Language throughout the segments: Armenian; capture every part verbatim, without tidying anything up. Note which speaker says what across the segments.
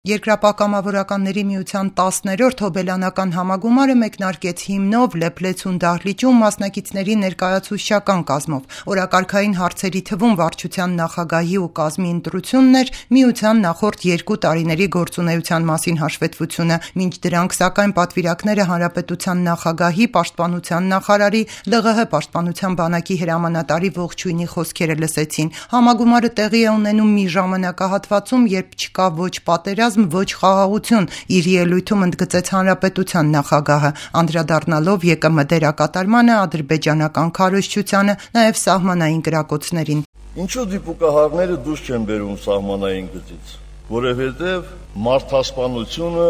Speaker 1: Երկրապահ կամավորականների միության տասներորդ հոբելյանական համագումարը մեկնարկեց հիմնով Լեփլեցուն դահլիճում մասնակիցների ներկայացուցչական կազմով։ Օրակարգային հարցերի թվում վարչության նախագահի ու կազմի ընտրությունն էր, միության նախորդ երկու տարիների գործունեության մասին հաշվետվությունը, մինչ դրանք սակայն պատվիրակները հանրապետության նախագահի, պաշտպանության նախարարի, ԼՂՀ պաշտպանության բանակի հրամանատարի ողջույնի խոսքերը լսեցին։ Համագումարը տեղի է ունենում մի ժամանակահատվածում, երբ չկա ոչ պատերազմ, ոչ խաղաղություն, իր ելույթում ընդգծեց հանրապետության նախագահը, անդրադառնալով ԵԿՄ դերակատարմանը, ադրբեջանական քարոզչությանը, նաև սահմանային կրակոցներին։
Speaker 2: Ինչու դիպուկահարները դուրս չեն բերում սահմանային գծից, որովհետև մարդասպանությունը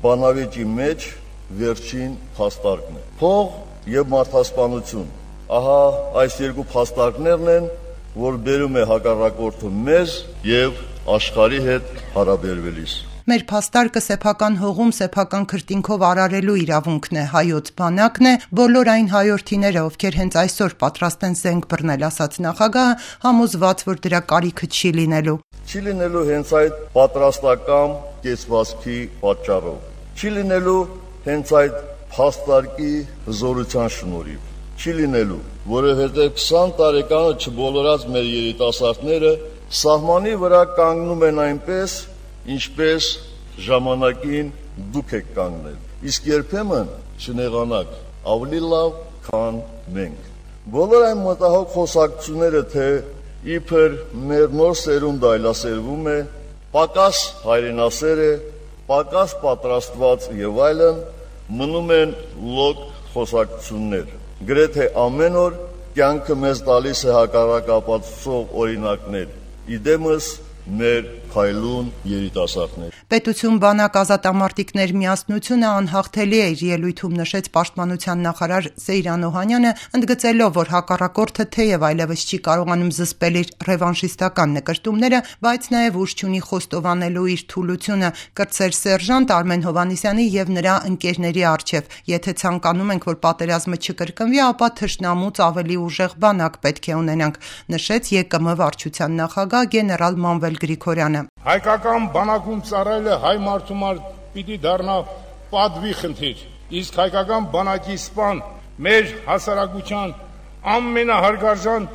Speaker 2: բանավեճի մեջ վերջին փաստարկն է։ Փող եւ մարդասպանություն։ Ահա այս երկու փաստարկներն են, որ բերում է հակառակորդը մեզ եւ աշխարհի հետ հարաբերվելիս։
Speaker 1: Մեր փաստարկը սեփական հողում սեփական քրտինքով արարելու իրավունքն է, հայոց բանակն է, բոլոր այն հայորդիները, ովքեր հենց այսօր պատրաստ են զենք բռնել, ասաց նախագահը, համոզված, որ դրա կարիքը չի լինելու։
Speaker 2: Չի լինելու հենց այդ պատրաստական կեցվածքի պատճառով։ Չի լինելու հենց այդ փաստարկի հզորության շնորհիվ։ Չի լինելու, որովհետև քսան տարեկանը չբոլորած մեր երիտասարդները սահմանի վրա կանգնում են այնպես, ինչպես ժամանակին դուք եք կանգնել, իսկ երբեմն չնեղանաք, ավելի լավ, քան մենք։ Բոլոր այն մտահոգ խոսակցությունները, թե իբր մեր նոր սերունդը այլասերվում է, պակաս հայրենասեր է, պակաս պատրաստված եւ այլն, մնում են լոկ խոսակցություններ։ Գրեթե ամեն օր կյանքը մեզ տալիս է հակառակապատասխան օրինակներ, իդեմս մեր քայլուն երիտասարդներ։
Speaker 1: Պետություն բանակ ազատամարտիկներ միասնությունը անհաղթելի է, իր ելույթում նշեց պաշտպանության նախարար Սեյրան Օհանյանը, ընդգծելով, որ հակառակորդը թեև այլևս չի կարողանում զսպել իր ռևանշիստական նկրտումները, բայց նաև ուժ չունի խոստովանելու իր թուլությունը, կրտսեր սերժանտ Արմեն Հովհաննիսյանի եւ նրա ընկերների առջև։ Եթե ցանկանում ենք, որ պատերազմը չկրկնվի, ապա թշնամուց ավելի ուժեղ բանակ պետք է ունենանք, նշեց ԵԿՄ վարչության նախագահ գեներալ Մանվել Գրիգորյանը։
Speaker 3: Հայկական բանակում ծառայելը հայ մարդու համար պիտի դառնա պատվի խնդիր, իսկ հայկական բանակի սպան մեր հասարակության ամենահարգարժան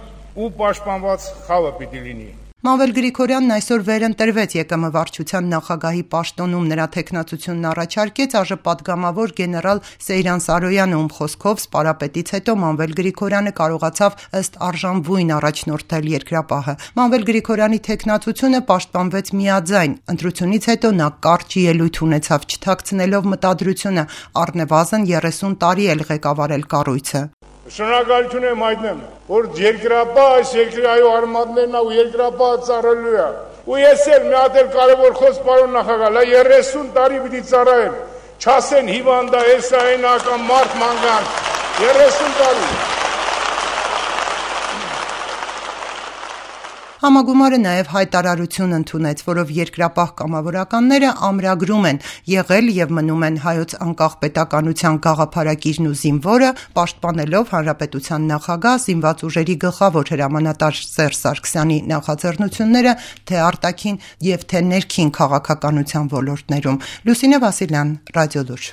Speaker 3: ու պաշտպանված խավը պիտի լինի։
Speaker 1: Մանվել Գրիգորյանն այսօր վերընտրվեց ԵԿՄ վարչության նախագահի պաշտոնում, նրա թեկնածությունն առաջարկեց ԱԺՊատգամավոր գեներալ Սեյրան Սարոյանը, ում խոսքով սպարապետից հետո Մանվել Գրիգորյանը կարողացավ ըստ արժանվույն առաջնորդել երկրապահը։ Մանվել Գրիգորյանի թեկնածությունը պաշտպանվեց միաձայն, ընտրությունից հետո նա կարճ ելույթ ունեցավ, չթաքցնելով մտադրությունը առնվազն երեսուն տարի էլ ղեկավարել կառույցը։
Speaker 3: Շնորհակալություն եմ հայտնում, որ երկրապահ այս երկրի այո արմատներն ու երկրապահը ծառայելու է։ Ու ես էլ մի հատ էլ կարևոր խոսք պարոն նախագահ, լա երեսուն տարի պիտի ծառայեմ։ Չասեն հիվանդա, էսա այնական մարդ մանգան։ երեսուն տարի։
Speaker 1: Համագումարը նաև հայտարարություն ընդունեց, որով երկրապահ կամավորականները ամրագրում են, եղել եւ մնում են հայոց անկախ պետականության գաղափարակիրն ու զինվորը, պաշտպանելով հանրապետության նախագահ, զինված ուժերի գլխավոր հրամանատար Սերժ Սարգսյանի նախաձեռնությունները թե արտաքին եւ թե ներքին քաղաքականության ոլորտներում։ Լուսինե Վասիլյան, Ռադիոլուր։